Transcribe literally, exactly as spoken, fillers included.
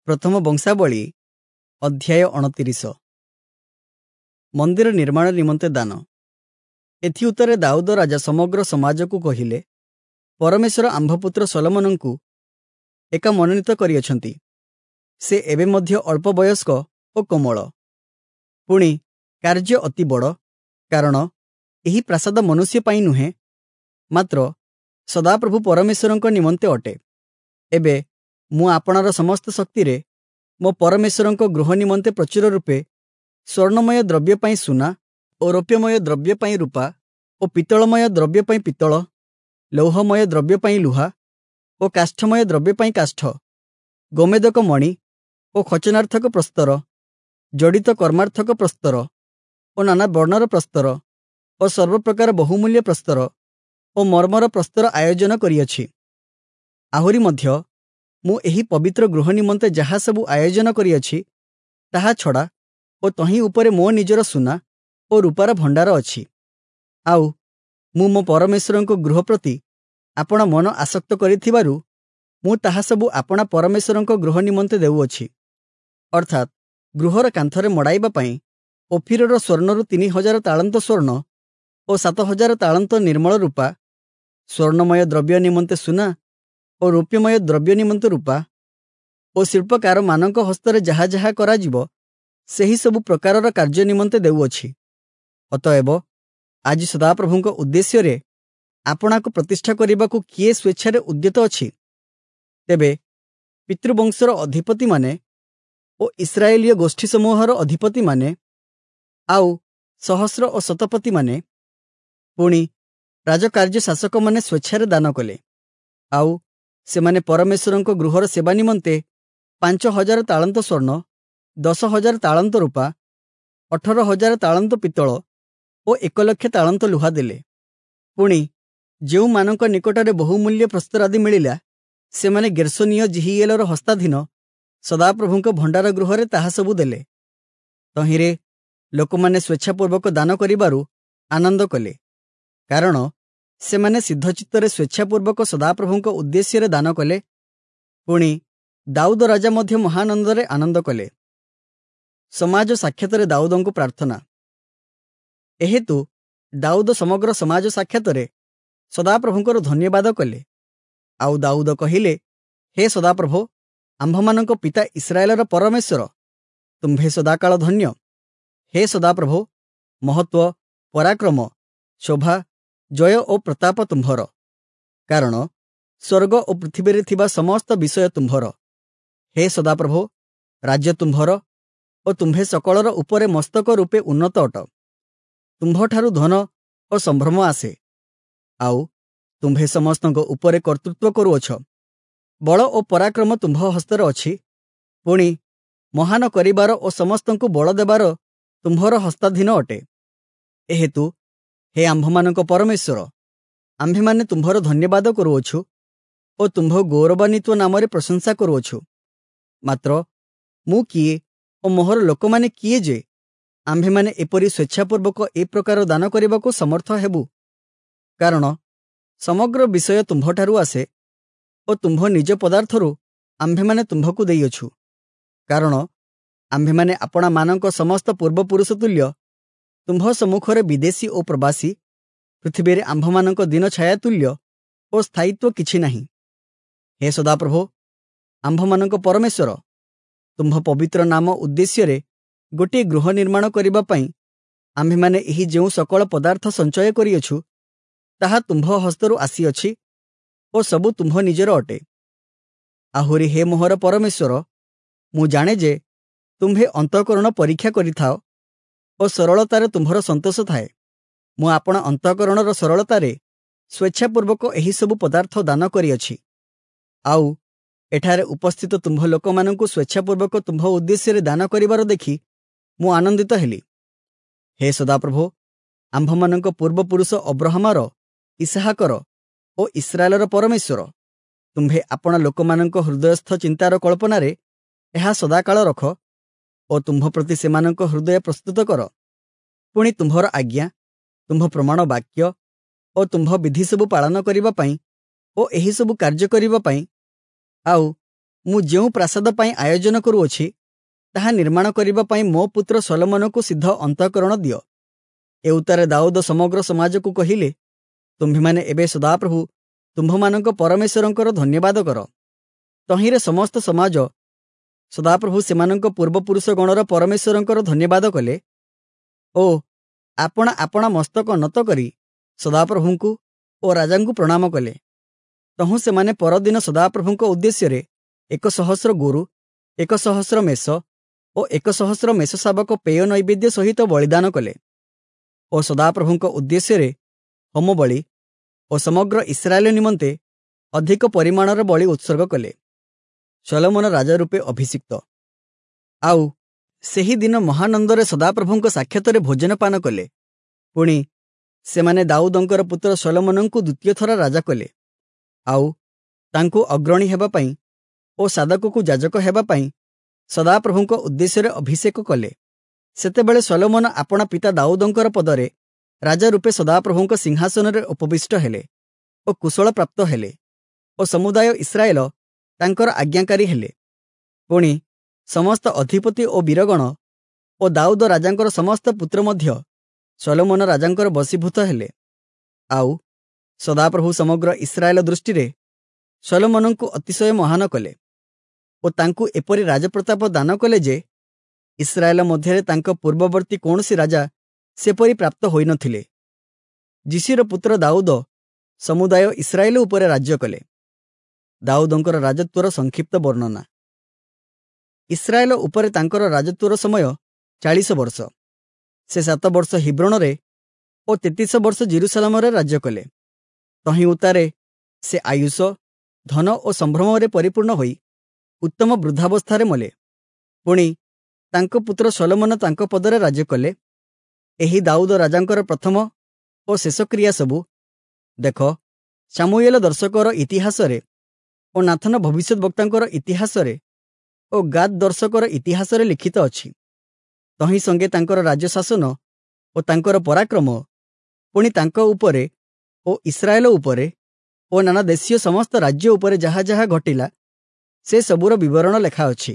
ପ୍ରଥମ ବଂଶାବଳୀ ଅଧ୍ୟାୟ ଅଣତିରିଶ। ମନ୍ଦିର ନିର୍ମାଣ ନିମନ୍ତେ ଦାନ। ଏଥିଉତ୍ତରେ ଦାଉଦ ରାଜା ସମଗ୍ର ସମାଜକୁ କହିଲେ, ପରମେଶ୍ୱର ଆମ୍ଭ ପୁତ୍ର ସଲୋମନଙ୍କୁ ଏକା ମନୋନୀତ କରିଅଛନ୍ତି। ସେ ଏବେ ମଧ୍ୟ ଅଳ୍ପ ବୟସ୍କ ଓ କୋମଳ। ପୁଣି କାର୍ଯ୍ୟ ଅତି ବଡ଼, କାରଣ ଏହି ପ୍ରାସାଦ ମନୁଷ୍ୟ ପାଇଁ ନୁହେଁ, ମାତ୍ର ସଦାପ୍ରଭୁ ପରମେଶ୍ୱରଙ୍କ ନିମନ୍ତେ ଅଟେ। ଏବେ ମୁଁ ଆପଣାର ସମସ୍ତ ଶକ୍ତିରେ ମୋ ପରମେଶ୍ୱରଙ୍କ ଗୃହ ନିମନ୍ତେ ପ୍ରଚୁର ରୂପେ ସ୍ୱର୍ଣ୍ଣମୟ ଦ୍ରବ୍ୟ ପାଇଁ ସୁନା ଓ ରୌପ୍ୟମୟ ଦ୍ରବ୍ୟ ପାଇଁ ରୂପା ଓ ପିତ୍ତଳମୟ ଦ୍ରବ୍ୟ ପାଇଁ ପିତ୍ତଳ, ଲୌହମୟ ଦ୍ରବ୍ୟ ପାଇଁ ଲୁହା ଓ କାଷ୍ଠମୟ ଦ୍ରବ୍ୟ ପାଇଁ କାଷ୍ଠ, ଗୋମେଦକ ମଣି ଓ ଖଚନାର୍ଥକ ପ୍ରସ୍ତର, ଜଡ଼ିତ କର୍ମାର୍ଥକ ପ୍ରସ୍ତର ଓ ନାନା ବର୍ଣ୍ଣର ପ୍ରସ୍ତର ଓ ସର୍ବପ୍ରକାର ବହୁମୂଲ୍ୟ ପ୍ରସ୍ତର ଓ ମର୍ମର ପ୍ରସ୍ତର ଆୟୋଜନ କରିଅଛି। ଆହୁରି ମଧ୍ୟ ମୁଁ ଏହି ପବିତ୍ର ଗୃହ ନିମନ୍ତେ ଯାହା ସବୁ ଆୟୋଜନ କରିଅଛି, ତାହା ଛଡ଼ା ଓ ତହିଁ ଉପରେ ମୋ ନିଜର ସୁନା ଓ ରୂପାର ଭଣ୍ଡାର ଅଛି। ଆଉ ମୁଁ ମୋ ପରମେଶ୍ୱରଙ୍କ ଗୃହ ପ୍ରତି ଆପଣା ମନ ଆସକ୍ତ କରିଥିବାରୁ ମୁଁ ତାହା ସବୁ ଆପଣା ପରମେଶ୍ୱରଙ୍କ ଗୃହ ନିମନ୍ତେ ଦେଉଅଛି। ଅର୍ଥାତ୍ ଗୃହର କାନ୍ଥରେ ମଡ଼ାଇବା ପାଇଁ ଓଫିରର ସ୍ୱର୍ଣ୍ଣରୁ ତିନି ହଜାର ତାଳନ୍ତ ସ୍ୱର୍ଣ୍ଣ ଓ ସାତ ହଜାର ତାଳନ୍ତ ନିର୍ମଳ ରୂପା, ସ୍ୱର୍ଣ୍ଣମୟ ଦ୍ରବ୍ୟ ନିମନ୍ତେ ସୁନା ଓ ରୌପ୍ୟମୟ ଦ୍ରବ୍ୟ ନିମନ୍ତେ ରୂପା ଓ ଶିଳ୍ପକାରମାନଙ୍କ ହସ୍ତରେ ଯାହା ଯାହା କରାଯିବ ସେହି ସବୁ ପ୍ରକାରର କାର୍ଯ୍ୟ ନିମନ୍ତେ ଦେଉଅଛି। ଅତଏବ ଆଜି ସଦାପ୍ରଭୁଙ୍କ ଉଦ୍ଦେଶ୍ୟରେ ଆପଣାକୁ ପ୍ରତିଷ୍ଠା କରିବାକୁ କିଏ ସ୍ୱେଚ୍ଛାରେ ଉଦ୍ୟତ ଅଛି? ତେବେ ପିତୃବଂଶର ଅଧିପତିମାନେ ଓ ଇସ୍ରାଏଲୀୟ ଗୋଷ୍ଠୀ ସମୂହର ଅଧିପତିମାନେ ଆଉ ସହସ୍ର ଓ ଶତପତିମାନେ, ପୁଣି ରାଜକାର୍ଯ୍ୟ ଶାସକମାନେ ସ୍ୱେଚ୍ଛାରେ ଦାନ କଲେ। ଆଉ ସେମାନେ ପରମେଶ୍ୱରଙ୍କ ଗୃହର ସେବା ନିମନ୍ତେ ପାଞ୍ଚ ହଜାର ତାଳନ୍ତ ସ୍ୱର୍ଣ୍ଣ, ଦଶ ହଜାର ତାଳନ୍ତ ରୂପା, ଅଠର ହଜାର ତାଳନ୍ତ ପିତ୍ତଳ ଓ ଏକ ଲକ୍ଷ ତାଳନ୍ତ ଲୁହା ଦେଲେ। ପୁଣି ଯେଉଁମାନଙ୍କ ନିକଟରେ ବହୁମୂଲ୍ୟ ପ୍ରସ୍ତର ଆଦି ମିଳିଲା, ସେମାନେ ଗେର୍ଶୋନୀୟ ଯିହିଏଲର ହସ୍ତାଧୀନ ସଦାପ୍ରଭୁଙ୍କ ଭଣ୍ଡାର ଗୃହରେ ତାହା ସବୁ ଦେଲେ। ତହିଁରେ ଲୋକମାନେ ସ୍ୱେଚ୍ଛାପୂର୍ବକ ଦାନ କରିବାରୁ ଆନନ୍ଦ କଲେ, କାରଣ ସେମାନେ ସିଦ୍ଧଚିତ୍ତରେ ସ୍ୱେଚ୍ଛାପୂର୍ବକ ସଦାପ୍ରଭୁଙ୍କ ଉଦ୍ଦେଶ୍ୟରେ ଦାନ କଲେ। ପୁଣି ଦାଉଦ ରାଜା ମଧ୍ୟ ମହାନନ୍ଦରେ ଆନନ୍ଦ କଲେ। ସମାଜ ସାକ୍ଷାତରେ ଦାଉଦଙ୍କୁ ପ୍ରାର୍ଥନା। ଏହେତୁ ଦାଉଦ ସମଗ୍ର ସମାଜ ସାକ୍ଷାତରେ ସଦାପ୍ରଭୁଙ୍କର ଧନ୍ୟବାଦ କଲେ। ଆଉ ଦାଉଦ କହିଲେ, ହେ ସଦାପ୍ରଭୁ, ଆମ୍ଭମାନଙ୍କ ପିତା ଇସ୍ରାଏଲର ପରମେଶ୍ୱର, ତୁମ୍ଭେ ସଦାକାଳ ଧନ୍ୟ। ହେ ସଦାପ୍ରଭୁ, ମହତ୍ତ୍ୱ, ପରାକ୍ରମ, ଶୋଭା, ଜୟ ଓ ପ୍ରତାପ ତୁମ୍ଭର, କାରଣ ସ୍ୱର୍ଗ ଓ ପୃଥିବୀରେ ଥିବା ସମସ୍ତ ବିଷୟ ତୁମ୍ଭର। ହେ ସଦାପ୍ରଭୁ, ରାଜ୍ୟ ତୁମ୍ଭର ଓ ତୁମ୍ଭେ ସକଳର ଉପରେ ମସ୍ତକ ରୂପେ ଉନ୍ନତ ଅଟ। ତୁମ୍ଭଠାରୁ ଧନ ଓ ସମ୍ଭ୍ରମ ଆସେ, ଆଉ ତୁମ୍ଭେ ସମସ୍ତଙ୍କ ଉପରେ କର୍ତ୍ତୃତ୍ୱ କରୁଅଛ। ବଳ ଓ ପରାକ୍ରମ ତୁମ୍ଭ ହସ୍ତରେ ଅଛି, ପୁଣି ମହାନ କରିବାର ଓ ସମସ୍ତଙ୍କୁ ବଳ ଦେବାର ତୁମ୍ଭର ହସ୍ତାଧୀନ ଅଟେ। ଏହେତୁ ହେ ଆମ୍ଭମାନଙ୍କ ପରମେଶ୍ୱର, ଆମ୍ଭେମାନେ ତୁମ୍ଭର ଧନ୍ୟବାଦ କରୁଅଛୁ ଓ ତୁମ୍ଭ ଗୌରବାନ୍ୱିତ ନାମରେ ପ୍ରଶଂସା କରୁଅଛୁ। ମାତ୍ର ମୁଁ କିଏ ଓ ମୋହର ଲୋକମାନେ କିଏ ଯେ ଆମ୍ଭେମାନେ ଏପରି ସ୍ୱେଚ୍ଛାପୂର୍ବକ ଏ ପ୍ରକାର ଦାନ କରିବାକୁ ସମର୍ଥ ହେବୁ? କାରଣ ସମଗ୍ର ବିଷୟ ତୁମ୍ଭଠାରୁ ଆସେ ଓ ତୁମ୍ଭ ନିଜ ପଦାର୍ଥରୁ ଆମ୍ଭେମାନେ ତୁମ୍ଭକୁ ଦେଇଅଛୁ। କାରଣ ଆମ୍ଭେମାନେ ଆପଣାମାନଙ୍କ ସମସ୍ତ ପୂର୍ବପୁରୁଷ ତୁଲ୍ୟ ତୁମ୍ଭ ସମ୍ମୁଖରେ ବିଦେଶୀ ଓ ପ୍ରବାସୀ, ପୃଥିବୀରେ ଆମ୍ଭମାନଙ୍କ ଦିନ ଛାୟା ତୁଲ୍ୟ ଓ ସ୍ଥାୟିତ୍ୱ କିଛି ନାହିଁ। ହେ ସଦାପ୍ରଭୁ, ଆମ୍ଭମାନଙ୍କ ପରମେଶ୍ୱର, ତୁମ୍ଭ ପବିତ୍ର ନାମ ଉଦ୍ଦେଶ୍ୟରେ ଗୋଟିଏ ଗୃହ ନିର୍ମାଣ କରିବା ପାଇଁ ଆମ୍ଭେମାନେ ଏହି ଯେଉଁ ସକଳ ପଦାର୍ଥ ସଞ୍ଚୟ କରିଅଛୁ, ତାହା ତୁମ୍ଭ ହସ୍ତରୁ ଆସିଅଛି ଓ ସବୁ ତୁମ୍ଭ ନିଜର ଅଟେ। ଆହୁରି ହେ ମୋହର ପରମେଶ୍ୱର, ମୁଁ ଜାଣେ ଯେ ତୁମ୍ଭେ ଅନ୍ତଃକରଣ ପରୀକ୍ଷା କରିଥାଅ ଓ ସରଳତାରେ ତୁମ୍ଭର ସନ୍ତୋଷ ଥାଏ। ମୁଁ ଆପଣା ଅନ୍ତଃକରଣର ସରଳତାରେ ସ୍ୱେଚ୍ଛାପୂର୍ବକ ଏହିସବୁ ପଦାର୍ଥ ଦାନ କରିଅଛି। ଆଉ ଏଠାରେ ଉପସ୍ଥିତ ତୁମ୍ଭ ଲୋକମାନଙ୍କୁ ସ୍ୱେଚ୍ଛାପୂର୍ବକ ତୁମ୍ଭ ଉଦ୍ଦେଶ୍ୟରେ ଦାନ କରିବାର ଦେଖି ମୁଁ ଆନନ୍ଦିତ ହେଲି। ହେ ସଦାପ୍ରଭୁ, ଆମ୍ଭମାନଙ୍କ ପୂର୍ବପୁରୁଷ ଅବ୍ରହାମର, ଇସ୍ହାକର ଓ ଇସ୍ରାଏଲର ପରମେଶ୍ୱର, ତୁମ୍ଭେ ଆପଣା ଲୋକମାନଙ୍କ ହୃଦୟସ୍ଥ ଚିନ୍ତାର କଳ୍ପନାରେ ଏହା ସଦାକାଳ ରଖ ଓ ତୁମ୍ଭ ପ୍ରତି ସେମାନଙ୍କ ହୃଦୟ ପ୍ରସ୍ତୁତ କର। ପୁଣି ତୁମ୍ଭର ଆଜ୍ଞା, ତୁମ୍ଭ ପ୍ରମାଣ ବାକ୍ୟ ଓ ତୁମ୍ଭ ବିଧି ସବୁ ପାଳନ କରିବା ପାଇଁ ଓ ଏହିସବୁ କାର୍ଯ୍ୟ କରିବା ପାଇଁ, ଆଉ ମୁଁ ଯେଉଁ ପ୍ରାସାଦ ପାଇଁ ଆୟୋଜନ କରୁଅଛି ତାହା ନିର୍ମାଣ କରିବା ପାଇଁ ମୋ ପୁତ୍ର ଶଲୋମନକୁ ସିଦ୍ଧ ଅନ୍ତଃକରଣ ଦିଅ। ଏଉତ୍ତାରେ ଦାଉଦ ସମଗ୍ର ସମାଜକୁ କହିଲେ, ତୁମ୍ଭେମାନେ ଏବେ ସଦାପ୍ରଭୁ ତୁମ୍ଭମାନଙ୍କ ପରମେଶ୍ୱରଙ୍କର ଧନ୍ୟବାଦ କର। ତହିଁରେ ସମସ୍ତ ସମାଜ ସଦାପ୍ରଭୁ ସେମାନଙ୍କ ପୂର୍ବପୁରୁଷଗଣର ପରମେଶ୍ୱରଙ୍କର ଧନ୍ୟବାଦ କଲେ ଓ ଆପଣା ଆପଣା ମସ୍ତକ ନତ କରି ସଦାପ୍ରଭୁଙ୍କୁ ଓ ରାଜାଙ୍କୁ ପ୍ରଣାମ କଲେ। ତହୁଁ ସେମାନେ ପରଦିନ ସଦାପ୍ରଭୁଙ୍କ ଉଦ୍ଦେଶ୍ୟରେ ଏକ ସହସ୍ର ଗୋରୁ, ଏକ ସହସ୍ର ମେଷ ଓ ଏକ ସହସ୍ର ମେଷ ଶାବକ ପେୟ ନୈବେଦ୍ୟ ସହିତ ବଳିଦାନ କଲେ ଓ ସଦାପ୍ରଭୁଙ୍କ ଉଦ୍ଦେଶ୍ୟରେ ହୋମବଳି ଓ ସମଗ୍ର ଇସ୍ରାଏଲ ନିମନ୍ତେ ଅଧିକ ପରିମାଣର ବଳି ଉତ୍ସର୍ଗ କଲେ। ଶଲୋମନ ରାଜା ରୂପେ ଅଭିଷିକ୍ତ। ଆଉ ସେହି ଦିନ ମହାନନ୍ଦରେ ସଦାପ୍ରଭୁଙ୍କ ସାକ୍ଷାତରେ ଭୋଜନ ପାନ କଲେ। ପୁଣି ସେମାନେ ଦାଉଦଙ୍କର ପୁତ୍ର ଶଲୋମନଙ୍କୁ ଦ୍ୱିତୀୟ ଥର ରାଜା କଲେ, ଆଉ ତାଙ୍କୁ ଅଗ୍ରଣୀ ହେବା ପାଇଁ ଓ ସାଦକକୁ ଯାଜକ ହେବା ପାଇଁ ସଦାପ୍ରଭୁଙ୍କ ଉଦ୍ଦେଶ୍ୟରେ ଅଭିଷେକ କଲେ। ସେତେବେଳେ ଶଲୋମନ ଆପଣା ପିତା ଦାଉଦଙ୍କର ପଦରେ ରାଜା ରୂପେ ସଦାପ୍ରଭୁଙ୍କ ସିଂହାସନରେ ଉପବିଷ୍ଟ ହେଲେ ଓ କୁଶଳ ପ୍ରାପ୍ତ ହେଲେ ଓ ସମୁଦାୟ ଇସ୍ରାଏଲ ତାଙ୍କର ଆଜ୍ଞାକାରୀ ହେଲେ। ପୁଣି ସମସ୍ତ ଅଧିପତି ଓ ବୀରଗଣ ଓ ଦାଉଦ ରାଜାଙ୍କର ସମସ୍ତ ପୁତ୍ର ମଧ୍ୟ ଶଲୋମନ ରାଜାଙ୍କର ବଶୀଭୂତ ହେଲେ। ଆଉ ସଦାପ୍ରଭୁ ସମଗ୍ର ଇସ୍ରାଏଲ ଦୃଷ୍ଟିରେ ଶଲୋମନଙ୍କୁ ଅତିଶୟ ମହାନ କଲେ ଓ ତାଙ୍କୁ ଏପରି ରାଜପ୍ରତାପ ଦାନ କଲେ ଯେ ଇସ୍ରାଏଲ ମଧ୍ୟରେ ତାଙ୍କ ପୂର୍ବବର୍ତ୍ତୀ କୌଣସି ରାଜା ସେପରି ପ୍ରାପ୍ତ ହୋଇନଥିଲେ। ଯିଶୀର ପୁତ୍ର ଦାଉଦ ସମୁଦାୟ ଇସ୍ରାଏଲ ଉପରେ ରାଜ୍ୟ କଲେ। ଦାଉଦଙ୍କର ରାଜତ୍ୱର ସଂକ୍ଷିପ୍ତ ବର୍ଣ୍ଣନା। ଇସ୍ରାଏଲ ଉପରେ ତାଙ୍କର ରାଜତ୍ୱର ସମୟ ଚାଳିଶ ବର୍ଷ। ସେ ସାତ ବର୍ଷ ହିବ୍ରୋଣରେ ଓ ତେତିଶ ବର୍ଷ ଜିରୁସାଲାମରେ ରାଜ୍ୟ କଲେ। ତହିଁ ଉତ୍ତାରେ ସେ ଆୟୁଷ, ଧନ ଓ ସମ୍ଭ୍ରମରେ ପରିପୂର୍ଣ୍ଣ ହୋଇ ଉତ୍ତମ ବୃଦ୍ଧାବସ୍ଥାରେ ମଲେ। ପୁଣି ତାଙ୍କ ପୁତ୍ର ଶଲୋମନ ତାଙ୍କ ପଦରେ ରାଜ୍ୟ କଲେ। ଏହି ଦାଉଦ ରାଜାଙ୍କର ପ୍ରଥମ ଓ ଶେଷ କ୍ରିୟା ସବୁ ଦେଖ, ସାମୁଏଲ ଦର୍ଶକର ଇତିହାସରେ ଓ ନାଥନ ଭବିଷ୍ୟଦ୍‌ବକ୍ତାଙ୍କର ଇତିହାସରେ ଓ ଗାଦ୍ ଦର୍ଶକର ଇତିହାସରେ ଲିଖିତ ଅଛି। ତହିଁ ସଙ୍ଗେ ତାଙ୍କର ରାଜ୍ୟ ଶାସନ ଓ ତାଙ୍କର ପରାକ୍ରମ, ପୁଣି ତାଙ୍କ ଉପରେ ଓ ଇସ୍ରାଏଲ ଉପରେ ଓ ନାନା ଦେଶୀୟ ସମସ୍ତ ରାଜ୍ୟ ଉପରେ ଯାହା ଯାହା ଘଟିଲା ସେ ସବୁର ବିବରଣ ଲେଖା ଅଛି।